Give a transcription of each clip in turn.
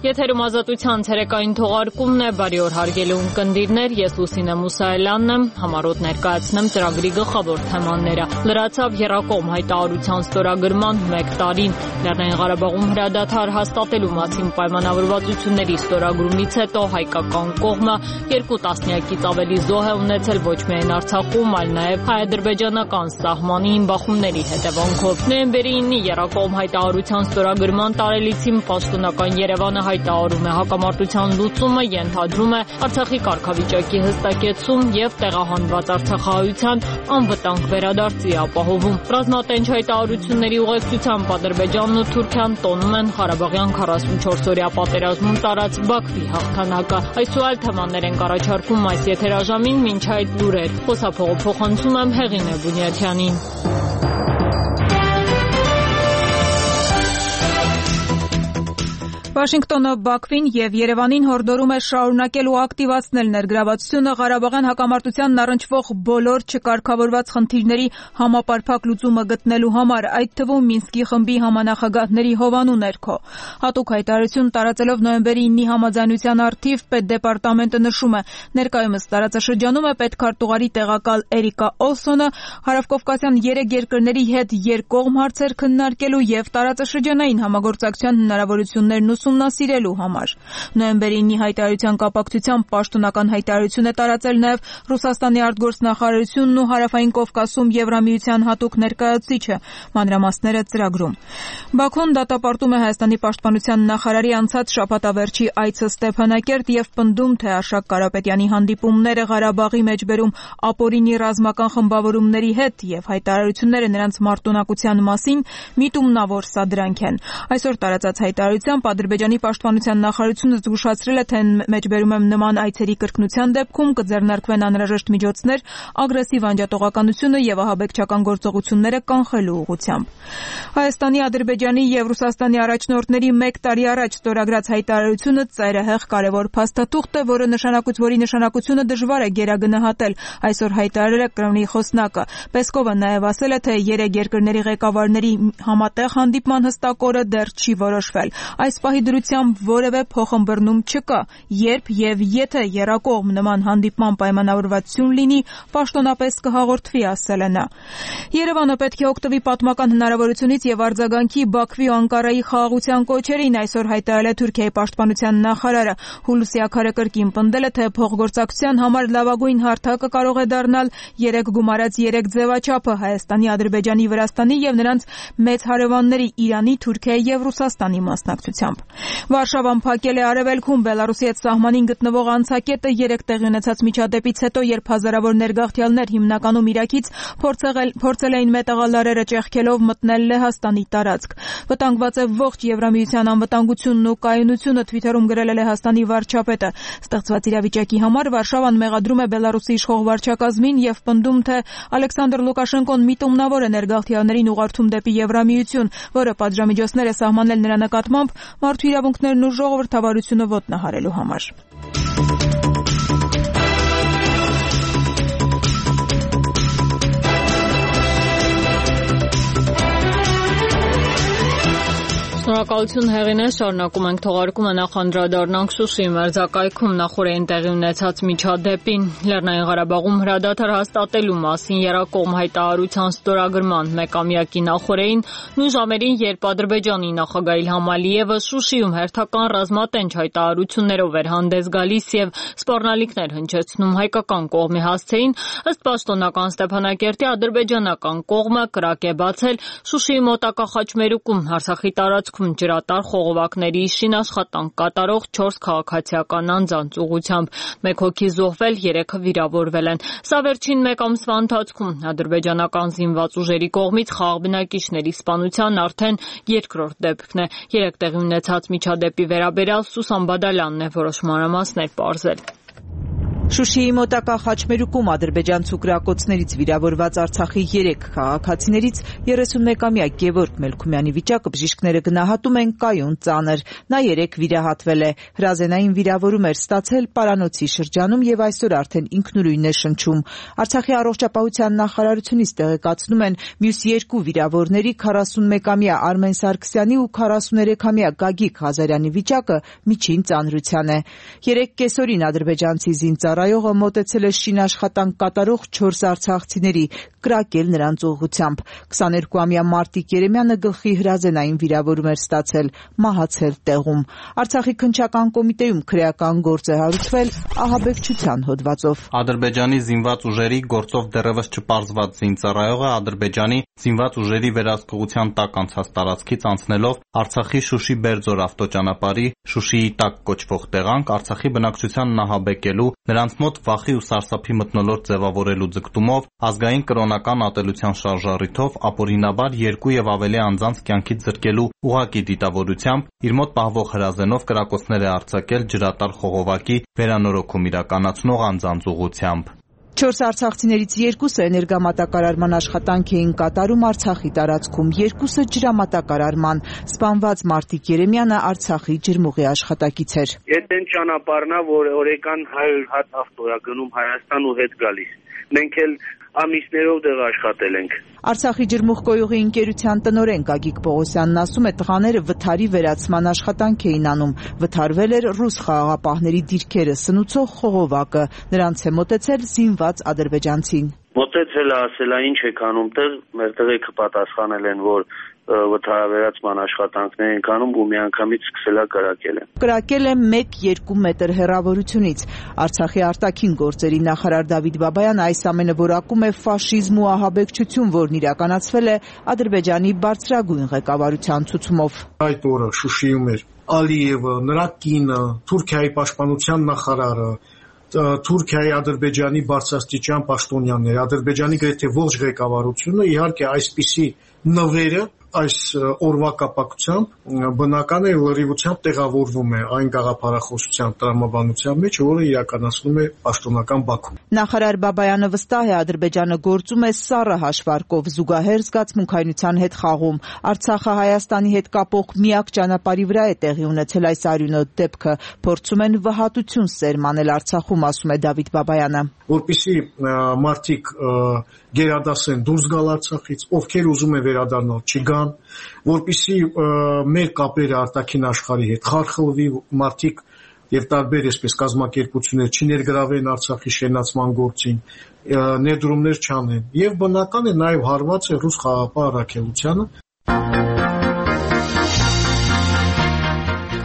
Եթերում ազատության ցերեկային թողարկումն է, բարի օր հարգելի ունկնդիրներ, ես Լուսինե Մուսայելյանն եմ, համառոտ ներկայացնեմ ծրագրի գլխավոր թեմաները։ Լրացավ եռակողմ հայտարարության ստորագրման 1 տարին, Լեռնային Ղարաբաղում հրադադար հաստատելու մասին պայմանավորվածությունների ստորագրումից հետո հայկական կողմը 2 տասնյակից ավելի զոհ է ունեցել ոչ միայն Արցախում, այլ նաև հայ-ադրբեջանական սահմանի բախումների հետևանքով։ Նոյեմբերի 9-ի եռակողմ հայտարարության ստորագրման տարելիցին պաշտոնական Երևանը հայտարարում է հակամարտության լուծումը, ենթադրում է Արցախի կարգավիճակի հստակեցում եւ տեղահանված արցախահայության անվտանգ վերադարձի ապահովում։ Ռազմատենչ հայտարարությունների ուղեկցությամբ Ադրբեջանն ու Թուրքիան տոնում են Ղարաբաղյան 44-օրյա պատերազմում տարած Բաքվի հաղթանակը։ Այս ու այլ թեմաներ ենք առաջարկում այս եթերաժամին, մինչ այդ լուրեր։ Խոսափողը փոխանցում եմ Հեղինե Բունյաթյանին։ Վաշինգտոնը Բաքվին եւ Երևանին հորդորում է շարունակել ու ակտիվացնել ներգրավվածությունը Ղարաբաղյան հակամարտությանն առնչվող բոլոր չկարգավորված խնդիրների համապարփակ լուծումը գտնելու համար, այդ թվում Մինսկի խմբի համանախագահների հովանու ներքո։ Հատուկ հայտարարություն տարածելով նոյեմբերի 9-ի համաձայնության առթիվ Պետդեպարտամենտը նշում է, ներկայումս տարածաշրջանում է պետքարտուղարի տեղակալ Էրիկա Օլսոնը հարավկովկասյան 3 երկրների հետ երկկողմ հարցեր քննարկելու եւ տարածաշրջանային համագործակցության հնարավորություններն ուսումնասիրելու համար։ Նոյեմբերի 9-ի հայտարարության կապակցությամբ պաշտոնական հայտարարություն է տարածել նաև Ռուսաստանի արտգործնախարարությունն ու Հարավային Կովկասում Եվրամիության հատուկ ներկայացուցիչը, մանրամասները ծրագրում։ Բաքուն դատապարտում է Հայաստանի պաշտպանության նախարարի անցած շաբաթավերջի այցը Ստեփանակերտ եւ պնդում, թե Արշակ Կարապետյանի հանդիպումները Ղարաբաղի մեջբերում ապօրինի ռազմական խմբավորումների հետ եւ հայտարարությունները նրանց մարտունակության մասին միտումնավոր սադրանք են։ Այսօր տարածած հայտարարությամբ Ադրբեջանի պաշտպանության նախարարությունը զգուշացրել է, թե մեջբերում եմ նման այցերի կրկնության դեպքում կձեռնարկվեն անհրաժեշտ միջոցներ ագրեսիվ անջատողականությունը եւ ահաբեկչական գործողությունները կանխելու ուղղությամբ։ Հայաստանի, Ադրբեջանի եւ Ռուսաստանի առաջնորդների 1 տարի առաջ ստորագրած հայտարարությունը ծայրահեղ կարևոր փաստաթուղթ է, որի նշանակությունը դժվար է գերագնահատել, այսօր հայտարարել է Կրեմլի խոսնակը։ Պեսկովը նաեւ ասել է, թե 3 երկրների ղեկավարների համատեղ հանդիպման հստակ օրը դեռ չի որոշվել։ Այս պահի դրությամբ որևէ փոխըմբռնում չկա, երբ եւ եթե եռակողմ նման հանդիպման պայմանավորվածություն լինի, պաշտոնապես կհաղորդվի, ասել է նա։ Երևանը պետք է օգտվի պատմական հնարավորությունից եւ արձագանքի Բաքվի ու Անկարայի խաղաղության կոչերին, այսօր հայտարարել է Թուրքիայի պաշտպանության նախարարը։ Հուլուսի Աքարը կրկին պնդել է, թե փոխգործակցության համար լավագույն հարթակը կարող է դառնալ 3 գումարած 3 ձևաչափը Հայաստանի, Ադրբեջանի, Վրաստանի եւ նրանց մեծ հարևանների Իրանի, Թուրքիայի եւ Ռուսաստանի մասնակցությամբ։ Վարշավան փակել է Արևելքում Բելարուսի հետ սահմանին գտնվող անցակետը 3 տեղի ունեցած միջադեպից հետո, երբ հազարավոր ներգաղթյալներ հիմնականում Իրաքից փորձել էին մետաղալարերը ճեղքելով մտնել Լեհաստանի տարածք։ Վտանգված է ողջ Եվրամիության անվտանգությունն ու կայունությունը, Թվիթերում գրել է Լեհաստանի վարչապետը։ Ստեղծված իրավիճակի համար Վարշավան մեղադրում է Բելարուսի իշխող վարչակազմին եւ պնդում, թե Ալեքսանդր Լուկաշենկոն միտումնավոր է ներգաղթյալներին ուղղորդում դեպի Եվրամիություն, որը պատժամիջոցներ է սահմանել նրա նկատմամբ մարդու իրավունքներն ու ժողովրդավարությունը ոտնահարելու համար։ Շնորհակալություն Հեղինե, շարունակում ենք թողարկումը, նախ անդրադառնանք Շուշիի մերձակայքում նախորդին տեղի ունեցած միջադեպին։ Լեռնային Ղարաբաղում հրադադար հաստատելու մասին եռակողմ հայտարարության ստորագրման մեկամյակի նախորդին նույն ժամերին, երբ Ադրբեջանի նախագահ Իլհամ Ալիևը Շուշիում հերթական ռազմատենչ հայտարարություններով էր հանդես գալիս եւ սպառնալիքներ հնչեցնում հայկական կողմի հասցեին, ըստ պաշտոնական Ստեփանակերտի ադրբեջանական կողմը կրակ է բացել Շուշիի մոտակա Խաչմերուկում Արցախի տարածքում ջրատար խողովակների շին աշխատանք կատարող 4 քաղաքացիական անձանց ուղղությամբ։ 1 հոգի զոհվել, 3-ը վիրավորվել են։ Սա վերջին 1 ամսվա ընթացքում ադրբեջանական զինված ուժերի կողմից խաղաղ բնակիչների սպանության արդեն 2-րդ դեպքն է։ 3 տեղի ունեցած միջադեպի վերաբերյալ Սուսան Բադալյանն է որոշ մանրամասներ պարզել։ Շուշիի մոտակա Խաչմերուկում ադրբեջանցու կրակոցներից վիրավորված Արցախի 3 քաղաքացիներից 31-ամյա Գևորգ Մելքումյանի վիճակը բժիշկները գնահատում են կայուն ծանր։ Նա 3 վիրահատվել է։ Հրազենային վիրավորում էր ստացել Պարանոցի շրջանում եւ այսօր արդեն ինքնուրույն է շնչում։ Արցախի առողջապահության նախարարությունից տեղեկացնում են մյուս 2 վիրավորների 41-ամյա Արմեն Սարգսյանի ու 43-ամյա Գագիկ Ղազարյանի վիճակը միջին ծանրության է։ 3 կեսօրին ադրբեջանցի զինծառայողը մոտեցել է շին աշխատանք կատարող 4 արցախցիների, կրակել նրանց ուղղությամբ։ 22-ամյա Մարտիկ Երեմյանը գլխի հրազենային վիրավորում էր ստացել, մահացել տեղում։ Արցախի քննչական կոմիտեում քրեական գործ է հարուցվել ահաբեկչության հոդվածով։ Ադրբեջանի զինված ուժերի գործով դեռևս չպարզված զինծառայողը Ադրբեջանի զինված ուժերի վերահսկողության տակ անցած տարածքից անցնելով Արցախի Շուշի Բերձոր ավտոճանապարհի Շուշիի տակ կոչվող տեղանք Արցախի բնակչությանն ահաբեկելու, նրանց մոտ վախի ու սարսափի մթնոլորտ ձևավորելու ձգտումով, ազգային կրոնական ատելության շարժառիթով ապօրինաբար 2 եւ ավելի անձանց կյանքից զրկելու ուղղակի դիտավորությամբ իր մոտ պահվող հրազենով կրակոցներ է արձակել ջրատար խողովակի վերանորոգում իրականացնող անձանց ուղղությամբ։ 4 արցախցիներից 2-ը էներգամատակարարման աշխատանք էին կատարում Արցախի տարածքում, 2-ը ջրամատակարարման։ Սպանված Մարտիկ Երեմյանը Արցախի ջրմուղի աշխատակից էր։ Այդ այն ճանապարհն է, որ օրական 100 հատ ավտո է գնում Հայաստան ու հետ գալիս։ Մենք էլ ամիսներով դեռ աշխատել ենք։ Արցախի ջրմուղ կոյուղի ընկերության տնօրեն Գագիկ Պողոսյանն ասում է, տղաները վթարի վերացման աշխատանք էին անում։ Վթարվել էր ռուս խաղաղապահների դիրքերը սնուցող խողովակը։ Նրանց է մոտեցել զինված ադրբեջանցին։ Մոտեցել է, ասել է ինչ եք անում տեղ, մեր տղեկը պատասխանել են, որ վթարավերացման աշխատանքներ ենք անում ու միանգամից սկսել է կրակել են։ Կրակել է 1-2 մետր հեռավորությունից։ Արցախի արտաքին գործերի նախարար Դավիթ Բաբայանը այս ամենը որակում է ֆաշիզմ ու ահաբեկչություն, որն իրականացվել է Ադրբեջանի բարձրագույն ղեկավարության ցուցումով։ Այդ օրը Շուշիում էր Ալիևը, նրա կինը, Թուրքիայի պաշտպանության նախարարը, Թուրքիայի Ադրբեջանի բարձրաստիճան պաշտոնյաներ, Ադրբեջանի գրեթե ողջ ղեկավարությունը, իհարկե այսպիսի նվերը այս օրվա կապակցությամբ բնական է լրիվությամբ տեղավորվում է այն գաղափարախոսության տրամաբանության մեջ, որը իրականացնում է պաշտոնական Բաքուն։ Նախարար Բաբայանը վստահ է, Ադրբեջանը գործում է սառը հաշվարկով, զուգահեռ զգացմունքայնության հետ խաղում։ Արցախը Հայաստանի հետ կապող միակ ճանապարհի վրա է տեղի ունեցել այս արյունոտ դեպքը։ Փորձում են վհատություն սերմանել Արցախում, ասում է Դավիթ Բաբայանը։ Որպեսզի մարդիկ գերադասեն դուրս գալ Արցախից, ովքեր ուզում են վերադառնալ չգան, որպեսզի մեր կապերը արտաքին աշխարհի հետ խարխլվի, մարդիկ եւ տարբեր այսպես կազմակերպություններ չներգրավեն Արցախի շենացման գործին, ներդրումներ չանեն։ Եվ բնական է նաեւ հարված է ռուս խաղաղապահ առաքելությանը։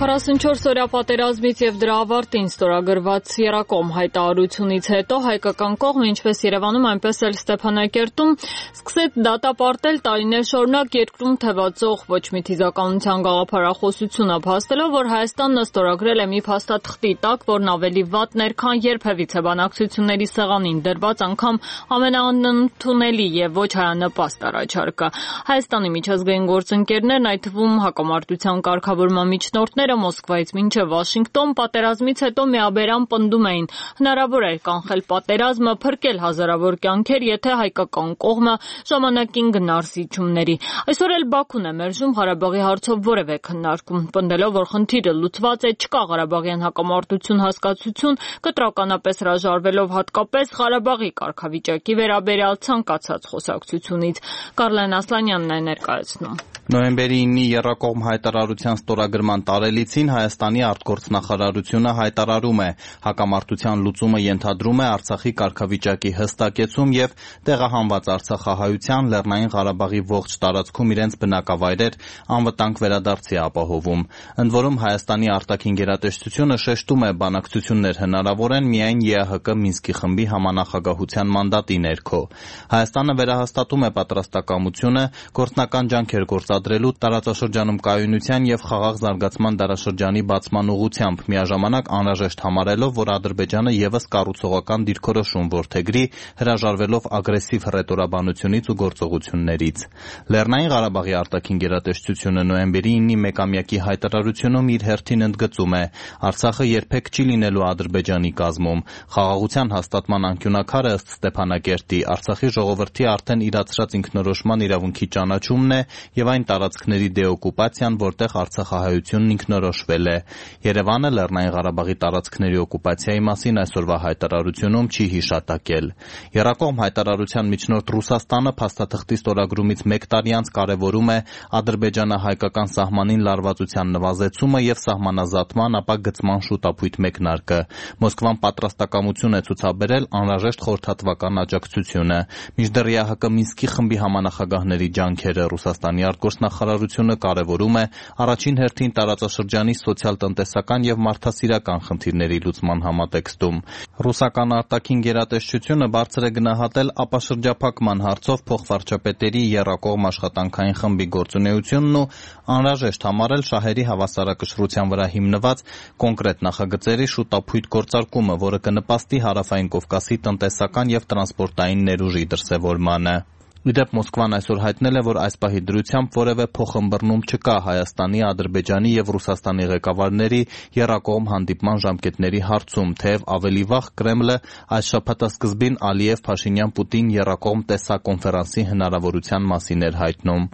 44-օրյա պատերազմից եւ դրա ավարտին ստորագրված Եռակոմ հայտարարությունից հետո հայկական կողմը, ինչպես Երևանում, այնպես էլ Ստեփանակերտում, սկսեց դատապարտել տարիներ շարունակ երկրում թևածող ոչ մի թիզականության գաղափարախոսությունը, փաստելով, որ Հայաստանն ստորագրել է մի փաստաթղթի տակ, որն ավելի վատն էր, քան երբևիցե բանակցությունների սեղանին դրված անգամ ամենաանընդունելի եւ ոչ հայանպաստ առաջարկը։ Հայաստանի միջազգային գործընկերներն, այդ թվում հակամարտության կարգավորման միջնորդները Մոսկվայից մինչև Վաշինգտոն պատերազմից հետո միաբերան պնդում էին, հնարավոր էր կանխել պատերազմը, փրկել հազարավոր կյանքեր, եթե հայկական կողմը ժամանակին գնար զիջումների։ Այսօր էլ Բաքուն է մերժում Ղարաբաղի հարցով որևէ քննարկում, պնդելով, որ խնդիրը լուծված է, չկա Ղարաբաղյան հակամարտություն հասկացություն, կտրականապես հրաժարվելով հատկապես Ղարաբաղի կարգավիճակի վերաբերյալ ցանկացած խոսակցությունից։ Կարլեն Ասլանյանն է ներկայացնում։ Նոյեմբերի 9-ի Եռակողմ հայտարարության ստորագրման տարելիցին Հայաստանի արտգործնախարարությունը հայտարարում է, հակամարտության լուծումը ենթադրում է Արցախի կարգավիճակի հստակեցում եւ տեղահանված արցախահայության Լեռնային Ղարաբաղի ողջ տարածքում իրենց բնակավայրեր անվտանգ վերադարձի ապահովում։ Ընդ որում Հայաստանի արտաքին գերատեսչությունը շեշտում է, բանակցություններ հնարավոր են միայն ԵԱՀԿ Մինսկի խմբի համանախագահության մանդատի ներքո։ Հայաստանը վերահաստատում է պատրաստակամությունը գործնական ջանքեր պարտադրելու տարածաշրջանում կայունության եւ խաղաղ զարգացման դարաշրջանի բացման ուղղությամբ, միաժամանակ անհրաժեշտ համարելով, որ Ադրբեջանը եւս կառուցողական դիրքորոշում որդեգրի, հրաժարվելով ագրեսիվ հռետորաբանությունից ու գործողություններից։ Լեռնային Ղարաբաղի արտաքին գերատեսչությունը նոյեմբերի 9-ի մեկամյակի հայտարարությունում իր հերթին ընդգծում է. Արցախը երբեք չի լինելու Ադրբեջանի կազմում։ Խաղաղության հաստատման անկյունաքարը ըստ Ստեփանակերտի Արցախի ժողովրդի արդեն իրացրած ինքնորոշման իրավունքի ճանաչումն է եւ այն տարածքների դեօկուպացիան, որտեղ արցախահայությունն ինքնորոշվել է։ Երևանը Լեռնային Ղարաբաղի տարածքների օկուպացիայի մասին այսօրվա հայտարարությունում չի հիշատակել։ Եռակողմ հայտարարության միջնորդ Ռուսաստանը փաստաթղթի ստորագրումից 1 տարի անց կարևորում է Ադրբեջանը հայկական սահմանին լարվածության նվազեցումը եւ սահմանազատման, ապա գծման շուտապույտ մեկնարկը։ Մոսկվան պատրաստակամություն է ցուցաբերել անհրաժեշտ խորհրդատվական աջակցությունը։ Մինչդեռ ԵԱՀԿ Մինսկի խմբի համանախագահների ջանքերը Ռուսաստանի արտգործնախարարությունը կարևորում է առաջին հերթին տարածաշրջանի սոցիալ-տնտեսական եւ մարդասիրական խնդիրների լուծման համատեքստում։ Ռուսական արտաքին գերատեսչությունը բարձր է գնահատել ապաշրջափակման հարցով փոխվարչապետերի եռակողմ աշխատանքային խմբի գործունեությունն ու անհրաժեշտ համարել շահերի հավասարակշռության վրա հիմնված կոնկրետ նախագծերի շուտապույտ գործարկումը, որը կնպաստի Հարավային Կովկասի տնտեսական եւ տրանսպորտային ներուժի դրսեւորմանը։ Ի դեպ Մոսկվան այսօր հայտնել է, որ այս պահի դրությամբ որևէ փոխըմբռնում չկա Հայաստանի, Ադրբեջանի եւ Ռուսաստանի ղեկավարների եռակողմ հանդիպման ժամկետների հարցում, թեև ավելի վաղ Կրեմլը այս շաբաթասկզբին Ալիև-Փաշինյան-Պուտին եռակողմ տեսակոնֆերանսի հնարավորության մասին էր հայտնում։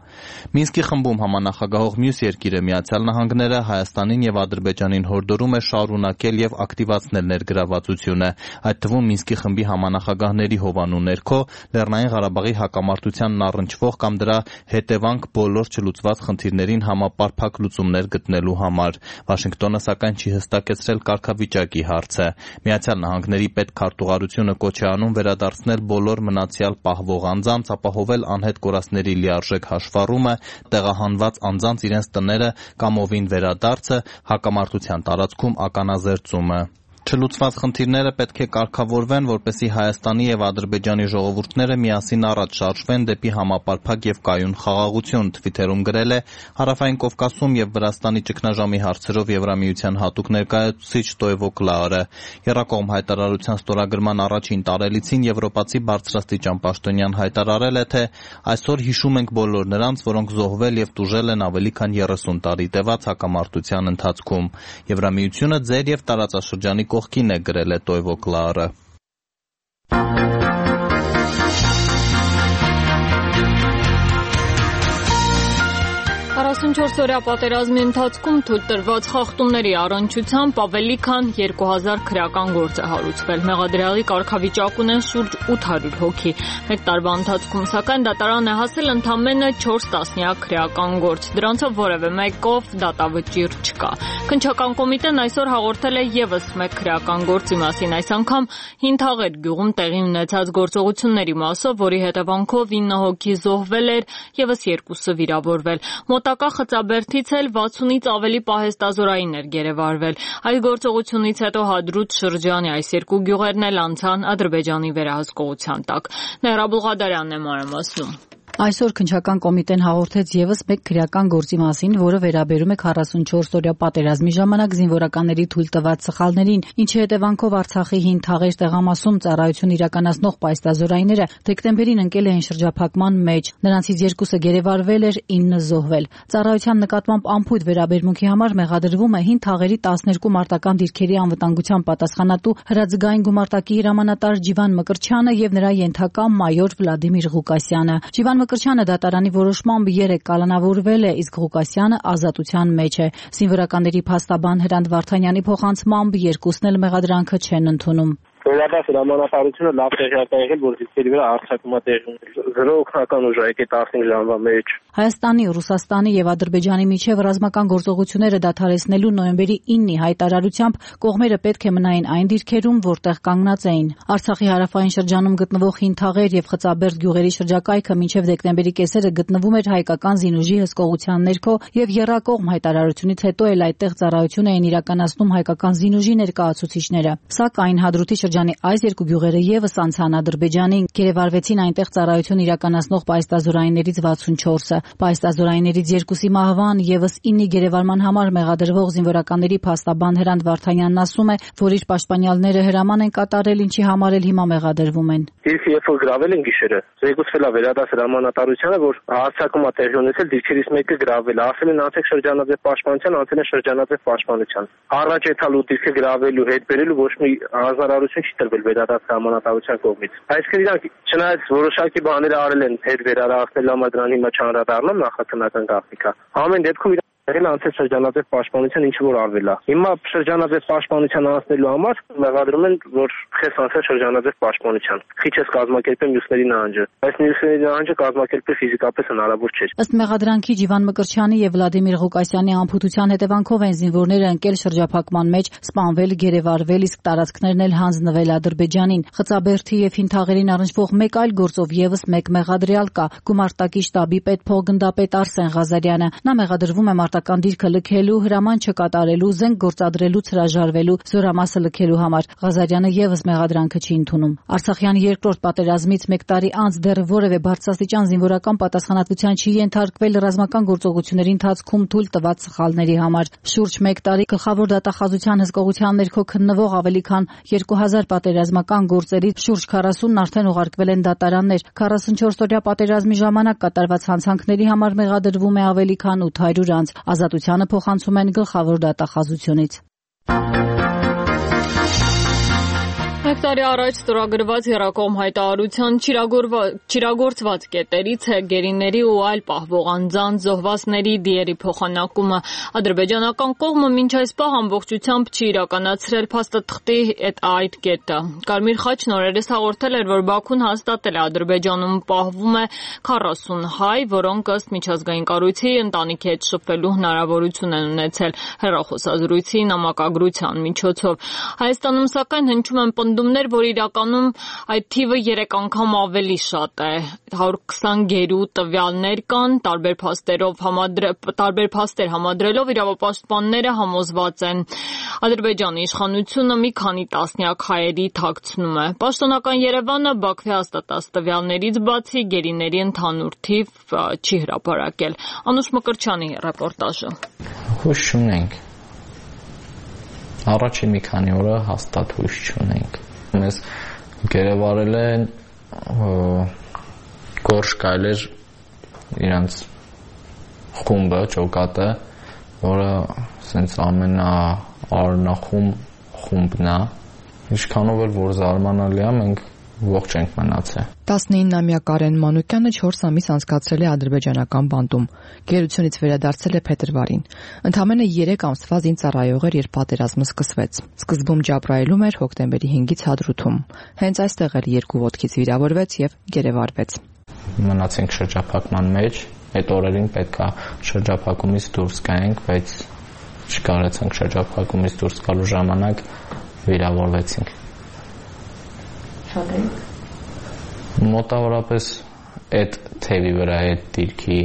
Մինսկի խմբում համանախագահող մյուս երկիրը Միացյալ Նահանգները Հայաստանին եւ Ադրբեջանին հորդորում է շարունակել եւ ակտիվացնել ներգրավվածությունը, այդ թվում Մինսկի խմբի համանախագահների հովանու ներքո Լեռնային Ղարաբաղի հակամարտությանն առնչվող կամ դրա հետևանք բոլոր չլուծված խնդիրներին համապարփակ լուծումներ գտնելու համար։ Վաշինգտոնը սակայն չի հստակեցրել կարգավիճակի հարցը։ Միացյալ Նահանգների պետքարտուղարությունը կոչ է անում վերադարձնել բոլոր մնացյալ պահվող անձանց, ապահովել անհետ կորածների լիարժեք հաշվառումը, տեղահանված անձանց իրենց տները կամովին վերադարձը, հակամարտության տարածքում ականազերծումը։ Չլուծված խնդիրները պետք է կարգավորվեն, որպեսզի Հայաստանի եւ Ադրբեջանի ժողովուրդները միասին առաջ շարժվեն դեպի համապարփակ եւ կայուն խաղաղություն, Թվիթերում գրել է Հարավային Կովկասում եւ Վրաստանի ճգնաժամի հարցերով Եվրամիության հատուկ ներկայացուցիչ Տոյվո Կլաուրը։ Եռակողմ հայտարարության ստորագրման առաջին տարելիցին եվրոպացի բարձրաստիճան պաշտոնյան հայտարարել է, թե այսօր հիշում ենք բոլոր նրանց, որոնք զոհվել եւ տուժել են ավելի քան 30 տարի տևած հակամարտության ընթացքում։ Եվրամիությունը ձեր եւ տարածաշրջանի կողքին է, գրել է Տոյվո Կլաուրը։ 44-օրյա պատերազմի ընթացքում թույլ տրված խախտումների առնչությամբ ավելի քան 2000 քրեական գործ է հարուցվել։ Մեղադրյալի կարգավիճակ ունեն շուրջ 800 հոգի։ Մեկ տարվա ընթացքում սակայն դատարան է հասել ընդամենը 4 տասնյակ քրեական գործ։ Դրանցով որևէ մեկով դատավճիռ չկա։ Քննչական կոմիտեն այսօր հաղորդել է եւս մեկ քրեական գործի մասին, այս անգամ Հինթաղեր գյուղում տեղի ունեցած գործողությունների մասով, որի հետևանքով 9 հոգի զոհվել էր, եւս 2-ը վիրավորվել։ Մոտակա Խծաբերդից էլ 60-ից ավելի պահեստազորային էր գերեվարվել։ Այս գործողությունից հետո Հադրութ շրջանի այս երկու գյուղերն էլ անցան Ադրբեջանի վերահսկողության տակ։ Նեհրա Բուլղադարյանն է մանրամասնում։ Այսօր քննչական կոմիտեն հաղորդեց եւս մեկ քրեական գործի մասին, որը վերաբերում է 44-օրյա պատերազմի ժամանակ զինվորականների թույլ տված սխալներին, ինչի հետևանքով Արցախի Հինթաղեր տեղամասում ծառայություն իրականացնող պահեստազորայինները դեկտեմբերին ընկել էին շրջափակման մեջ։ Նրանցից 2-ը գերեվարվել էր, 9-ը զոհվել։ Ծառայության նկատմամբ անփույթ վերաբերմունքի համար մեղադրվում է Հինթաղերի 12 մարտական դիրքերի անվտանգության պատասխանատու հրաձգային գումարտակի հրամանատար Ջիվան Մկրչյանը եւ նրա ենթակա մայոր Վլադիմիր Ղուկասյանը։ Ջիվան Մկրչյանը դատարանի որոշմամբ 3 կալանավորվել է, իսկ Ղուկասյանը ազատության մեջ է։ Զինվորականների փաստաբան Հրանտ Վարդանյանի փոխանցմամբ 2-ն էլ մեղադրանքը չեն ընդունում։ Վերադարձ հրամանատարությունը լավ տեղյակ է եղել, որ դիրքերի վրա հարձակում է տեղի ունեցել։ Զրո օգնական ուժ է եկել 15 ժամվա մեջ։ Հայաստանի, Ռուսաստանի եւ Ադրբեջանի միջև ռազմական գործողությունները դադարեցնելու նոյեմբերի 9-ի հայտարարությամբ կողմերը պետք է մնային այն դիրքերում, որտեղ կանգնած էին։ Արցախի հարավային շրջանում գտնվող Հինթաղեր եւ Խծաբերդ գյուղերի շրջակայքը մինչև դեկտեմբերի կեսերը գտնվում էր հայկական զինուժի հսկողության ներքո եւ եռակողմ հայտարարությունից հետո էլ այդտեղ ծառայություն էին իրականացնում հայկական զինուժի ներկայացուցիչները։ Սակայն Հադրութի շրջանի այս երկու գյուղերը եւս անցան Ադրբեջանին, գերեվարվեցին այնտեղ ծառայություն իրականացնող պայստազորայիններից 64-ը։ Պայստազորայիններից 2-ի մահվան եւս 9-ի գերեվարման համար մեղադրվող զինվորականների փաստաբան Հրանտ Վարդանյանն ասում է, որ իր պաշտպանյալները հրաման են կատարել, ինչի համար էլ հիմա մեղադրվում են։ Դիրքը երբ որ գրավել են գիշերը, զեկուցվել է վերադաս հրամանատարությանը, որ հարձակում է տեղի ունեցել, դիրքերից մեկը գրավել է, ասել են անցեք շրջանաձև պաշտպանության, անցել են շրջանաձև պաշտպանության։ Առաջ եթալու դիրքը գրավելու, հետ բերելու ոչ մի հանրարարություն չի տրվել վերադաս հրամանատարության կողմից։ Այսինքն իրանք չնայած որոշակի բաներ արել են հետ վերադարձնել համար, դրան հիմա չանդրադառնամ նախաքննական գաղտնիքա։ Ամեն դեպքում եղել անցել շրջանաձև պաշտպանության ինչ որ արվել է։ Հիմա շրջանաձև պաշտպանության անցնելու համար մեղադրում են, որ խես անցել շրջանաձև պաշտպանության։ Քիչես կազմակերպեն մյուսների նահանջը։ Այս մյուսների նահանջը կազմակերպել ֆիզիկապես հնարավոր չէ։ Ըստ մեղադրանքի Ջիվան Մկրտչյանի եւ Վլադիմիր Ղուկասյանի անփութության հետևանքով են զինվորները ընկել շրջափակման մեջ, սպանվել, գերեվարվել, իսկ տարածքներն էլ հանձնվել Ադրբեջանին։ Խծաբերդի եւ Հինթաղերին առնչվող մեկ այլ գործով եւս մեկ մեղադրյալ կա՝ Գումարտակի շտաբի պետփոխգնդապետ Արսեն Ղազարյանը։ Նա մեղադրվում է մարտական դիրքը լքելու, հրաման չկատարելու, զենք գործադրելուց հրաժարվելու, զորամասը լքելու համար։ Ղազարյանը եւս մեղադրանքը չի ընդունում։ Արցախյան երկրորդ պատերազմից 1 տարի անց դեռ որևէ բարձրաստիճան զինվորական պատասխանատվության չի ենթարկվել ռազմական գործողությունների ընթացքում թույլ տված սխալների համար։ Շուրջ 1 տարի գլխավոր դատախազության հսկողության ներքո քննվող ավելի քան 2000 պատերազմական գործերից շուրջ 40-ն արդեն ուղարկվել են դատարաններ։ 44-օրյա պատերազմի ժամանակ կատարված հանցանքների համար մեղադրվում է ավելի քան 800 անձ։ Ազատությանը փոխանցում են գլխավոր դատախազությունից։ Մեկ տարի առաջ ստորագրված եռակողմ հայտարարության չիրագործված կետերից է գերիների ու այլ պահվող անձանց զոհվածների դիերի փոխանակումը։ Ադրբեջանական կողմը մինչ այս պահ ամբողջությամբ չի իրականացրել փաստաթղթի այդ կետը։ Կարմիր խաչն օրերս հաղորդել էր, որ Բաքուն հաստատել է Ադրբեջանում պահվում է 40 հայ, որոնք ըստ միջազգային կառույցի ընտանիքի հետ շփվելու հնարավորություն են ունեցել հեռախոսազրույցի նամակագրության միջոցով։ Հայաստանում սակայն հնչում են պնդումներ, որ իրականում այդ թիվը 3 անգամ ավելի շատ է։ 120 գերու տվյալներ կան, տարբեր փաստեր համադրելով իրավապաշտպանները համոզված են Ադրբեջանի իշխանությունը մի քանի տասնյակ հայերի թաքցնում է։ Պաշտոնական Երևանը Բաքվի հաստատած տվյալներից բացի գերիների ընդհանուր թիվ չի հրապարակել։ Անուշ Մկրտչյանի ռեպորտաժը։ Հույս չունենք։ Առաջին մի քանի օրը հաստատ հույս չունենք։ Մեզ գերեվարել են Գորշ Կայլեր իրանց խումբը, ջոկատը, որը սենց ամենաառնախում խումբն է։ Ինչքանով էլ որ զարմանալի է, մենք ողջ ենք մնացել։ 19-ամյա Կարեն Մանուկյանը 4 ամիս անցկացրել է ադրբեջանական բանտում։ Գերությունից վերադարձել է փետրվարին։ Ընդամենը 3 ամսվա զինծառայող էր, երբ պատերազմը սկսվեց։ Սկզբում Ջաբրայելում էր, հոկտեմբերի 5-ից Հադրութում։ Հենց այստեղ էլ 2 ոտքից վիրավորվեց եւ գերեվարվեց։ Մնացինք շրջափակման մեջ, այդ օրերին պետքա շրջափակումից դուրս գայինք, բայց չկարեցանք շրջափակումից դուրս գալու ժամանակ վիրավորվեցինք։ Մոտավորապես այդ թևի վրա այդ դիրքի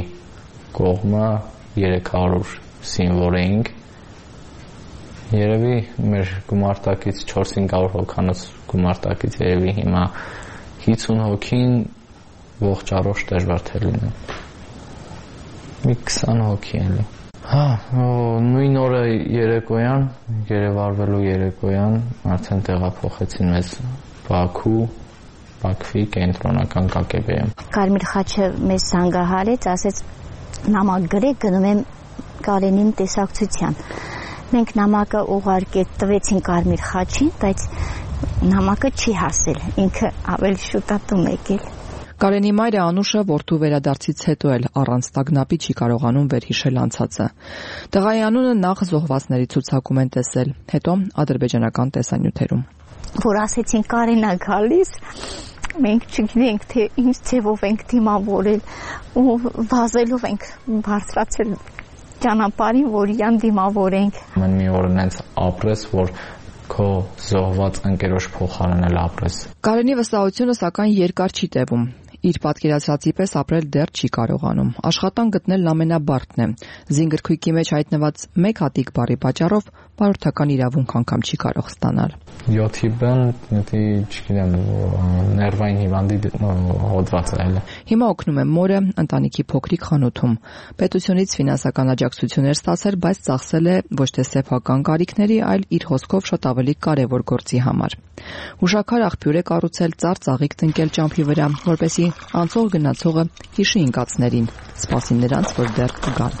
կողմը 300 զինվոր էինք։ Երևի մեր գումարտակից 400 հոգանոց գումարտակից երևի հիմա 50 հոգին ողջ առողջ դժվար թե լինեն։ Մի 20 հոգի էլի։ Նույն օրը երեկոյան, գերեվարվելու երեկոյան արդեն տեղափոխեցին մեզ Բաքվի կենտրոնական ԿԿԲ-ում։ Կարմիր խաչը մեզ զանգահարեց, ասեց նամակ գրեք, գնում եմ Կարենին տեսակցության։ Մենք նամակը տվեցին Կարմիր խաչին, բայց նամակը չի հասել, ինքը ավելի շուտ է տուն եկել։ Կարենի մայրը Անուշը որդու վերադարձից հետո էլ առանց տագնապի չի կարողանում վերհիշել անցածը։ Տղայի անունը նախ զոհվածների ցուցակում են տեսել, հետո ադրբեջանական տեսանյութերում։ Որ ասեցին Կարենա գալիս, մենք չգիտենք թե ինչ ձևով ենք դիմավորել ու վազելով ենք բարձրացել ճանապարհին, որ իրան դիմավորենք։ Մեն մի օր նենց ապրես, որ քո զոհված ընկերոջ փոխարեն էլ ապրես։ Կարենի վստահությունը սակայն երկար չի տևում։ Իր պատկերացրածի պես ապրել դեռ չի կարողանում։ Աշխատանք գտնելն ամենաբարդն է։ Զինգրքույկի մեջ հայտնված մեկ հատիկ բառի պատճառով բարորդական իրավունք անգամ չի կարող ստանալ։ 7-ին, չգիտեմ, ներվային հիվանդի հոդված է։ Հիմա օգնում է մորը ընտանիքի փոքրիկ խանութում։ Պետությունից ֆինանսական աջակցություններ ստացել, բայց ծախսել է ոչ թե սեփական կարիքների, այլ իր հոսքով շատ ավելի կարևոր գործի համար։ Հուշաքար աղբյուր է կառուցել ծառ-ծաղիկ տնկել ճամփի վրա, որպեսզի անցող գնացողը հիշի ինկածներին, սպասի նրանց, որ դեռ կգան։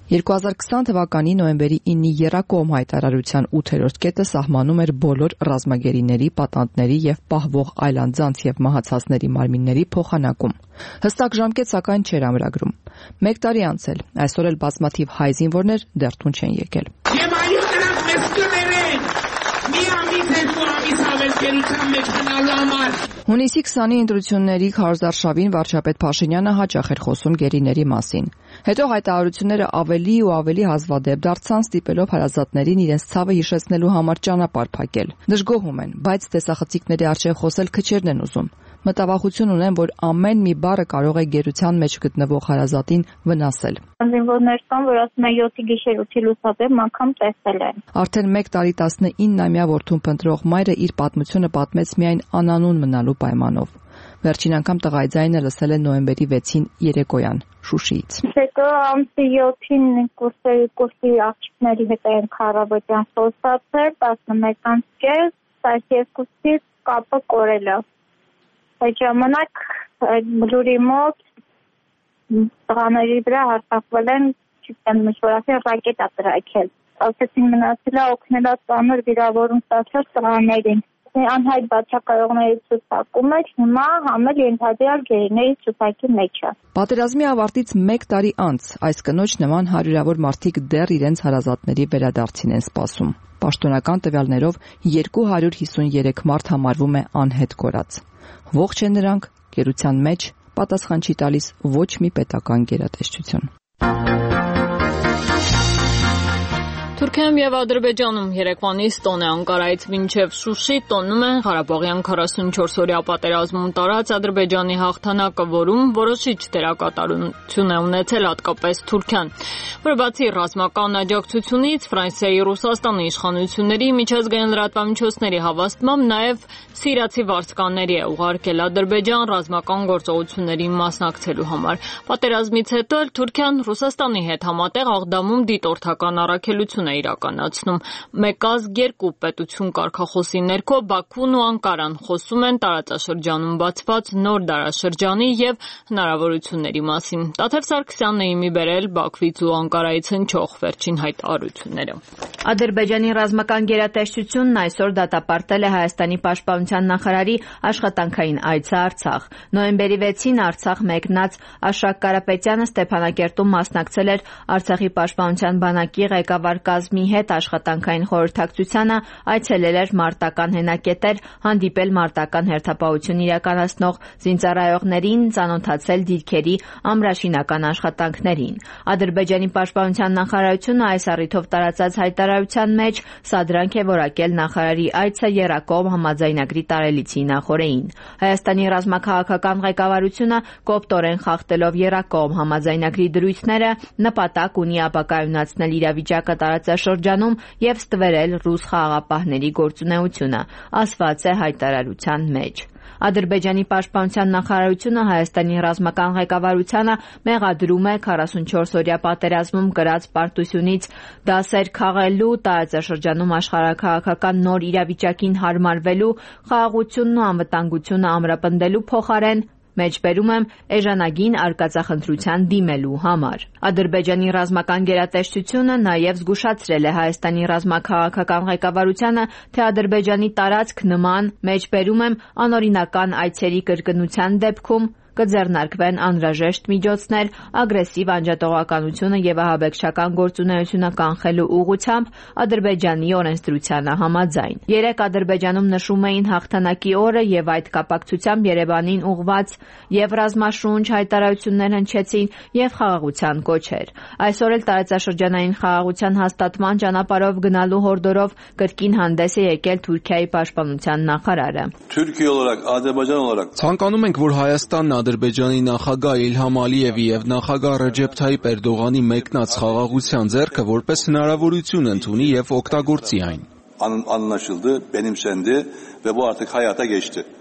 2020 թվականի նոյեմբերի 9-ի Եռակոմ հայտարարության 8-րդ կետը սահմանում էր բոլոր ռազմագերիների, պատանդների եւ պահվող այլանդզանց եւ մահացածների մարմինների փոխանակում։ Հստակ ժամկետ սակայն չէր ամրագրում։ 1 տարի անցել, այսօր էլ բազմաթիվ հայ զինվորներ դեռ տուն չեն եկել։ Եվ այո, նրանք մեզ կներեն։ Մի ամիս, 2 ամիս հավելքերության մեջ գնալու համար։ Հունիսի 20-ի ընտրությունների քարոզարշավին վարչապետ Փաշինյանը հաճախ էր խոսում գերիների մասին։ Հետո հայտարարությունները ավելի ու ավելի հազվադեպ դարձան, ստիպելով հարազատներին իրենց ցավը հիշեցնելու համար ճանապարհ փակել։ Դժգոհում են, բայց տեսախցիկների առջև խոսել քչերն են ուզում։ Մտավախություն ունեն, որ ամեն մի բառը կարող է գերության մեջ գտնվող հարազատին վնասել։ Զինվորներ կան, որ ասում են 7-ի գիշեր 8-ի լուսաբեմ անգամ տեսել են։ Արդեն 1 տարի 19-ամյա որդուն փնտրող մայրը իր պատմությունը պատմեց միայն անանուն մնալու պայմանով։ Վերջին անգամ տղայի ձայնը լսել է նոյեմբերի 6-ին երեկոյան Շուշիից։ Հետո ամսի 7-ին կուրսի աղջիկների հետ ենք առավոտյան խոսացել, 11:30, 12-ից կապը կորել է։ Այդ ժամանակ այդ բլուրի մոտ տղաների վրա հարձակվել են, չգիտեմ, միշտ ռակետա տրակել։ Ասեցին մնացել է օգնելա ծանր վիրավորում ստացած տղաներին։ Անհայտ բացակայողների ցուցակում էր, հիմա համել ենթադրյալ գերիների ցուցակի մեջ է։ Պատերազմի ավարտից 1 տարի անց այս կնոջ նման հարյուրավոր մարդիկ դեռ իրենց հարազատների վերադարձին են սպասում։ Պաշտոնական տվյալներով 253 մարդ համարվում է անհետ կորած։ Ողջ են նրանք, գերության մեջ պատասխան չի տալիս ոչ մի պետական գերատեսչություն։ Թուրքիայում եւ Ադրբեջանում երեկվանից տոն է Անկարայից մինչեւ Շուշի տոնում են Ղարաբաղյան 44-օրյա պատերազմում տարած Ադրբեջանի հաղթանակը, որում որոշիչ դերակատարություն է ունեցել հատկապես Թուրքիան, որը բացի ռազմական աջակցությունից Ֆրանսիայի, Ռուսաստանի իշխանությունների միջազգային լրատվամիջոցների հավաստմամբ նաեւ սիրիացի վարձկանների է ուղարկել Ադրբեջան ռազմական գործողություններին մասնակցելու համար։ Պատերազմից հետո էլ Թուրքիան Ռուսաստանի հետ համատեղ Աղդամում դիտորդական առաքելություն է իրականացնում։ Մեկ ազգ երկու պետություն կարգախոսի ներքո Բաքուն ու Անկարան խոսում են տարածաշրջանում բացված նոր դարաշրջանի եւ հնարավորությունների մասին։ Տաթև Սարգսյանն է իմի բերել Բաքվից ու Անկարայից հնչող վերջին հայտարարությունները։ Ադրբեջանի ռազմական գերատեսչությունն այսօր դատապարտել է Հայաստանի պաշտպանության նախարարի աշխատանքային այցը Արցախ։ Նոյեմբերի 6-ին Արցախ մեկնած Աշակ Կարապետյանը Ստեփանակերտում մասնակցել էր Արցախի պաշտպանության բանակի ղեկավար կազմի հետ աշխատանքային խորհրդակցությանը, այցելել էր մարտական հենակետեր, հանդիպել մարտական հերթապահություն իրականացնող զինծառայողներին, ծանոթացել դիրքերի ամրաշինական աշխատանքներին։ Ադրբեջանի պաշտպանության նախարարությունը այս առիթով տարածած հայտարարության մեջ սադրանք է որակել նախարարի այցը Եռակոմ համաձայնագրի տարելիցի նախօրեին։ Հայաստանի ռազմաքաղաքական ղեկավարությունը կոպտորեն խախտելով Եռակոմ համաձայնագրի դրույթները նպատակ ունի ապակայունացնել իրավիճակը տարածաշրջանում եւ ստվերել ռուս խաղաղապահների գործունեությունը, ասված է հայտարարության մեջ։ Ադրբեջանի պաշտպանության նախարարությունը Հայաստանի ռազմական ղեկավարությանը մեղադրում է 44-օրյա պատերազմում կրած պարտությունից դասեր քաղելու, տարածաշրջանում աշխարհաքաղաքական նոր իրավիճակին հարմարվելու, խաղաղությունն ու անվտանգությունը ամրապնդելու փոխարեն մեջբերում եմ էժանագին արկածախնդրության դիմելու համար։ Ադրբեջանի ռազմական գերատեսչությունը նաև զգուշացրել է Հայաստանի ռազմաքաղաքական ղեկավարությանը, թե Ադրբեջանի տարածք նման մեջբերում եմ անօրինական այցերի կրկնության դեպքում կձեռնարկվեն անհրաժեշտ միջոցներ ագրեսիվ անջատողականությունը եւ ահաբեկչական գործունեությունը կանխելու ուղղությամբ Ադրբեջանի օրենսդրությանը համաձայն։ Երեկ Ադրբեջանում նշում էին հաղթանակի օրը եւ այդ կապակցությամբ Երևանին ուղղված եւ ռազմաշունչ հայտարարություններ հնչեցին եւ խաղաղության կոչեր։ Այսօր էլ տարածաշրջանային խաղաղության հաստատման ճանապարհով գնալու հորդորով կրկին հանդես է եկել Թուրքիայի պաշտպանության նախարարը։ Ցանկանում ենք, որ Հայաստանն Ադրբեջանի նախագահ Իլհամ Ալիևի եւ նախագահ Ռեջեփ Թայիփ Էրդողանի մեկնած խաղաղության ձեռքը որպես հնարավորություն ընդունի եւ օգտագործի այն։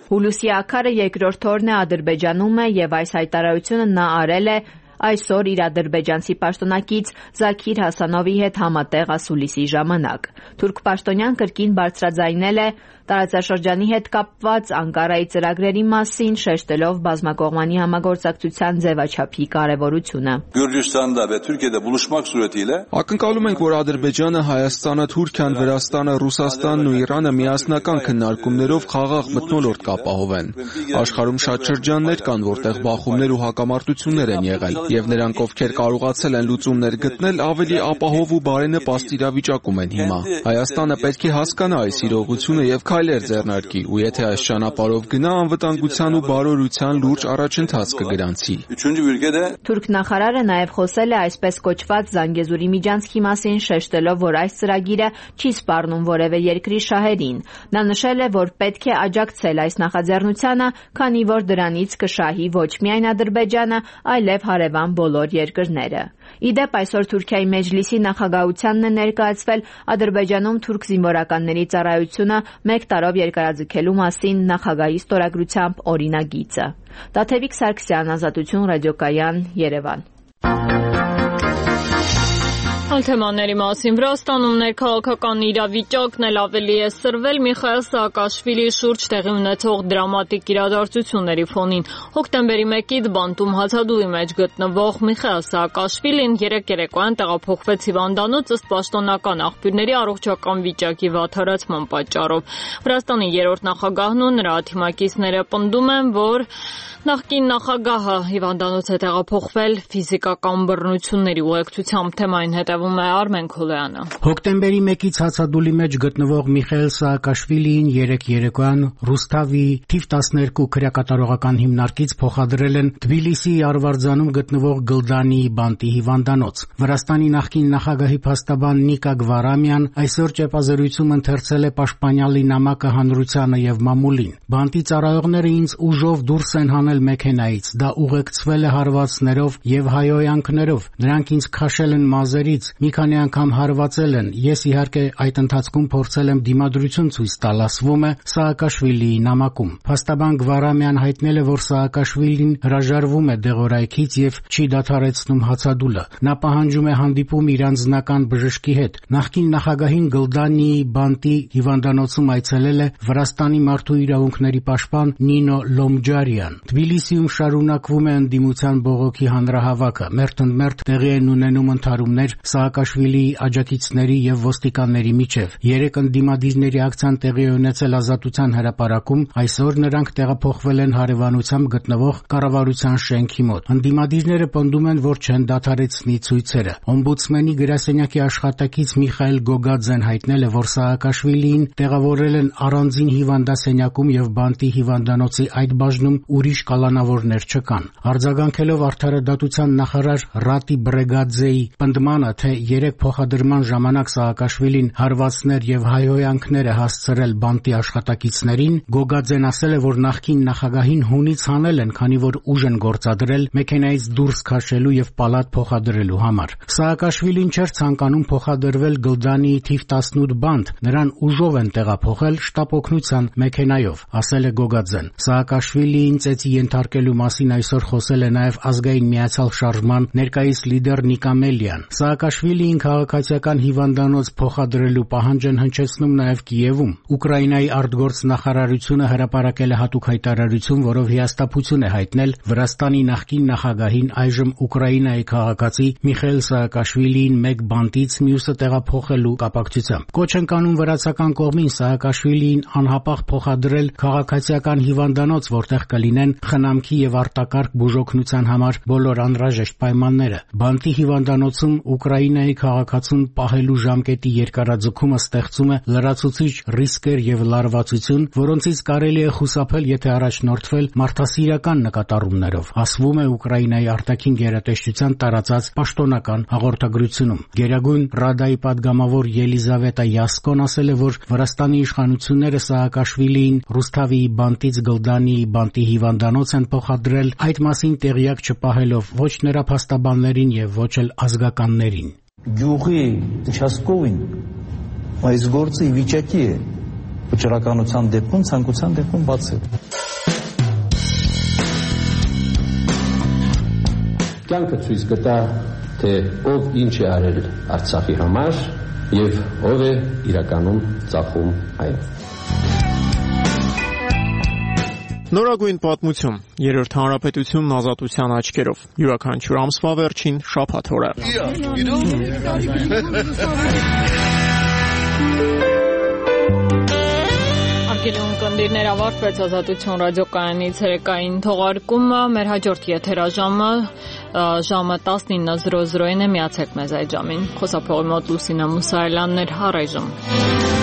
Հուլուսի Աքարը երկրորդ օրն է Ադրբեջանում է եւ այս հայտարարությունը նա արել է այսօր իր ադրբեջանցի պաշտոնակից Զաքիր Հասանովի հետ համատեղ ասուլիսի ժամանակ։ Թուրք պաշտոնյան կրկին բարձրաձայնել է տարածաշրջանի հետ կապված Անկարայի ծրագրերի մասին, շեշտելով բազմակողմանի համագործակցության ձևաչափի կարևորությունը։ Ակնկալում ենք, որ Ադրբեջանը, Հայաստանը, Թուրքիան, Վրաստանը, Ռուսաստանն ու Իրանը միասնական քննարկումներով խաղաղ մթնոլորտ կապահովեն։ Աշխարհում շատ շրջաններ կան, որտեղ բախումներ ու հակամարտություններ են եղել, եւ նրանք, ովքեր կարողացել են լուծումներ գտնել, ավելի ապահով ու բարենպաստ իրավիճակում են հիմա։ Հայաստանը պետք է հասկանա այս իրողությունը եւ քայլեր ձեռնարկի, ու եթե այս ճանապարհով գնա, անվտանգության ու բարօրության լուրջ առաջընթաց կգրանցի։ Թուրք նախարարը նաև խոսել է այսպես կոչված Զանգեզուրի միջանցքի մասին, շեշտելով, որ այս ծրագիրը չի սպառնում որևէ երկրի շահերին։ Նա նշել է, որ պետք է աջակցել այս նախաձեռնությանը, քանի որ դրանից կշահի ոչ միայն Ադրբեջանը, այլև հարևան բոլոր երկրները։ Իդեպ այսօր Թուրքիայի Մեջլիսի նախագահությանն է ներկայացվել Ադրբեջանում թուրք զինվորականների ծառայությունը 1 տարով երկարաձգելու մասին նախագահի ստորագրությամբ օրինագիծը։ Տաթևիկ Սարգսյան, Ազատություն ռադիոկայան, Երևան։ Այլ թեմաների մասին Վրաստանում ներքաղաքական իրավիճակն էլ ավելի է սրվել Միխայիլ Սաակաշվիլիի շուրջ տեղի ունեցող դրամատիկ իրադարձությունների ֆոնին։ Հոկտեմբերի 1-ից բանտում հացադուլի մեջ գտնվող Միխայիլ Սաակաշվիլին երեկ երեկոյան տեղափոխվեց հիվանդանոց ըստ պաշտոնական աղբյուրների առողջական վիճակի վատթարացման պատճառով։ Վրաստանի երրորդ նախագահն ու նրա թիմակիցները պնդում են, որ նախկին նախագահը հիվանդանոց է տեղափոխվել ֆիզիկական բռնությունների ուղեկցությամբ։ Թեմային հետևում է Արմեն Քոլոյանը։ Հոկտեմբերի 1-ից հացադուլի մեջ գտնվող Միխայիլ Սաակաշվիլիին երեկ երեկոյան Ռուսթավի թիվ 12 քրեակատարողական հիմնարկից փոխադրել են Թբիլիսիի Արվարձանում գտնվող Գլդանի բանտի հիվանդանոց։ Վրաստանի նախկին նախագահի փաստաբան Նիկա Գվարամյան այսօր ճեպազրույցում ընթերցել է պաշտպանյալի նամակը հանրությանը եւ մամուլին։ Բանտի ծառայողները ինձ ուժով դուրս են հանել մեքենայից, դա ուղեկցվել է հարվածներով եւ հայոյանքներով։ Նրանք ինձ քաշել են մազերից, մի քանի անգամ հարվածել են։ Ես իհարկե այդ ընթացքում փորձել եմ դիմադրություն ցույց տալ, ասվում է Սաակաշվիլիի նամակում։ Փաստաբան Գվարամյան հայտնել է, որ Սաակաշվիլին հրաժարվում է դեղորայքից եւ չի դադարեցնում հացադուլը։ Նա պահանջում է հանդիպում իր անձնական բժշկի հետ։ Նախկին նախագահին Գլդանի բանտի հիվանդանոցում այցելել է Վրաստանի մարդու իրավունքների պաշտպան Նինո Լոմջարյան։ Թբիլիսիում շարունակվում է ընդդիմության բողոքի հանրահավաքը։ Մերթ տեղի են ունենում ընդհարումներ Սաակաշվիլիի աջակիցների եւ ոստիկանների միջև։ Երեք ընդդիմադիրների ակցիան տեղի է ունեցել Ազատության հրապարակում, այսօր նրանք տեղափոխվել են հարևանությամբ գտնվող կառավարության շենքի մոտ։ Ընդդիմադիրները պնդում են, որ չեն դադարեցնի ցույցերը։ Օմբուդսմենի գրասենյակի աշխատակից Միխայիլ Գոգաձեն հայտնել է, որ Սաակաշվիլիին տեղավորել են առանձին հիվանդասենյակում եւ բանտի հիվանդանոցի այդ բաժնում ուրիշ կալանավորներ չկան։ Արձագանքելով արդարադատության նախարար Ռատի Բրեգաձեի պնդմանը, թե երեք փոխադրման ժամանակ Սաակաշվիլին հարվածներ եւ հայհոյանքներ է հասցրել բանտի աշխատակիցներին, Գոգաձեն ասել է, որ նախկին նախագահին հունից հանել են, քանի որ ուժ են գործադրել մեքենայից դուրս քաշելու եւ պալատ փոխադրելու համար։ Սաակաշվիլին չէր ցանկանում փոխադրվել Գլդանի թիվ 18 բանտ, նրան ուժով են տեղափոխել շտապ օգնության մեքենայով, ասել է Գոգաձեն։ Սաակաշվիլիին ծեծի ենթարկելու մասին այսօր խոսել է նաև ազգային միացյալ շարժման ներկայիս լիդեր Նիկա Մելյան։ Սաակաշվիլին Սաակաշվիլիին քաղաքացիական հիվանդանոց փոխադրելու պահանջն հնչեցնում նաև Կիևում։ Ուկրաինայի արտգործնախարարությունը հրապարակել է հատուկ հայտարարություն, որով հիասթափություն է հայտնել Վրաստանի նախկին նախագահին, այժմ Ուկրաինայի քաղաքացի Միխայիլ Սաակաշվիլիին մեկ բանտից մյուսը տեղափոխելու կապակցությամբ։ Կոչ են կանում վրացական կողմին Սաակաշվիլիին անհապաղ փոխադրել քաղաքացիական հիվանդանոց, որտեղ կլինեն խնամքի եւ արտակարգ բուժօգնության համար բոլոր անհրաժեշտ պայմանները։ Բանտի հիվանդանոցում Ուկրաինայի քաղաքացուն պահելու ժամկետի երկարաձգումը ստեղծում է լրացուցիչ ռիսկեր եւ լարվածություն, որոնցից կարելի է խուսափել, եթե առաջնորդվել մարդասիրական նկատառումներով, ասվում է Ուկրաինայի արտաքին գերատեսչության տարածած պաշտոնական հաղորդագրությունում։ Գերագույն Ռադայի падգամավոր Ելիզավետա Յասկոն ասել է, որ Վրաստանի իշխանությունները Սաակաշվիլիին Ռուսթավիի բանտից Գլդանիի բանտի հիվանդանոց են փոխադրել, այդ մասին տեղյակ չպահելով ոչ նրա փաստաբաններին եւ ոչ էլ ազգականներին։ Գյուղի участковին այս գործը ի վիճակի է վճռականության դեպքում, ցանկության դեպքում բացել։ Կյանքը ցույց կտա, թե ով ինչ է արել Արցախի համար եւ ով է իրականում ծախում այն։ Նորագույն պատմություն, երրորդ հանրապետությունն ազատության աչքերով, յուրաքանչյուր ամսվա վերջին շաբաթ օրը։ Արգելի ունկնդիրներ, ավարտվեց Ազատություն ռադիոկայանի ցերեկային թողարկումը, մեր հաջորդ եթերաժամը ժամը 19:00-ին է, միացեք մեզ այդ ժամին։ Խոսափողի մոտ Լուսինա Մուսայելյանն էր, առայժմ։